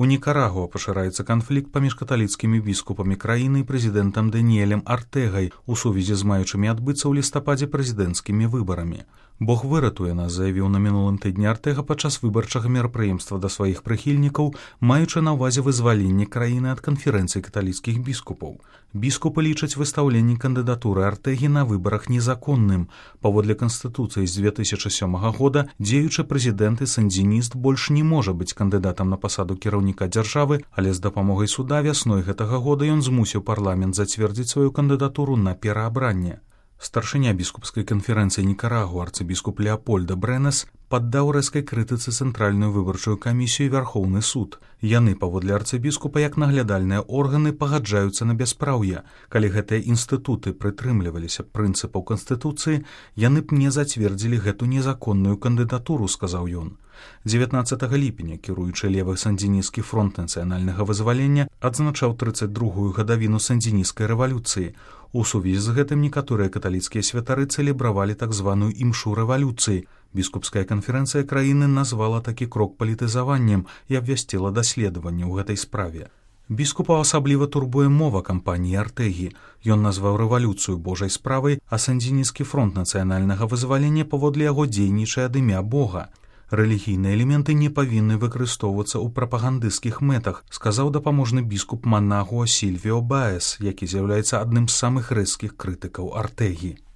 У Нікарагуа пашыраецца канфлікт паміж каталіцкімі біскупамі краіны і прэзідэнтам Даніэлем Артэгай у сувязі з маючымі адбыцца ў лістападзе прэзідэнцкімі выбарамі. Бог выратуе нас, заявіў на мінулым тыдні Артэга падчас выбарчага мерапрыемства да сваіх прыхільнікаў, маючы на ўвазе вызваленне краіны ад канферэнцыі каталіцкіх біскупаў. Біскупы лічаць выстаўленне кандыдатуры Артэгі на выбарах незаконным. Паводле Канстытуцыі з 2007 года дзеючы прэзідэнт і сандзініст больш не можа быць кандыдатам на пасаду кіраўніка дзяржавы, але з дапамогай суда вясной гэтага года ён змусіў парламент зацвердзіць сваю кандыдатуру на пераабранне. Старшыня біскупскай канферэнцыі Нікарагуа арцыбіскуп Леапольда Брэнес паддаў рэзкай крытыцы цэнтральную выбарчую камісію і Вярхоўны суд. Яны, паводле арцыбіскупа, як наглядальныя органы, пагаджаюцца на бяспраўе. Калі гэтыя інстытуты прытрымліваліся прынцыпаў Канстытуцыі, яны б не зацвердзілі гэту незаконную кандыдатуру, сказаў ён. 19 ліпеня кіруючы левы сандзінісцкі фронт нацыянальнага вызвалення адзначаў 32-ю гадавіну сандзінісцкай рэвалюцыі. У сувязі з гэтым некаторыя каталіцкія святары цэлебравалі так званую імшу рэвалюцыі. Біскупская канферэнцыя краіны назвала такі крок палітызаваннем і абвясціла даследаванне ў гэтай справе. Біскупа асабліва турбуе мова кампаніі Артэгі. Ён назваў рэвалюцыю божай справай, а сандзінісцкі фронт нацыянальнага вызвалення паводле яго дзейнічае ад імя Бога. Рэлігійныя элементы не павінны выкарыстоўвацца ў прапагандысцкіх мэтах, сказаў дапаможны біскуп Манагуа Сільвіо Баэс, які з'яўляецца адным з самых рэзкіх крытыкаў Артэгі.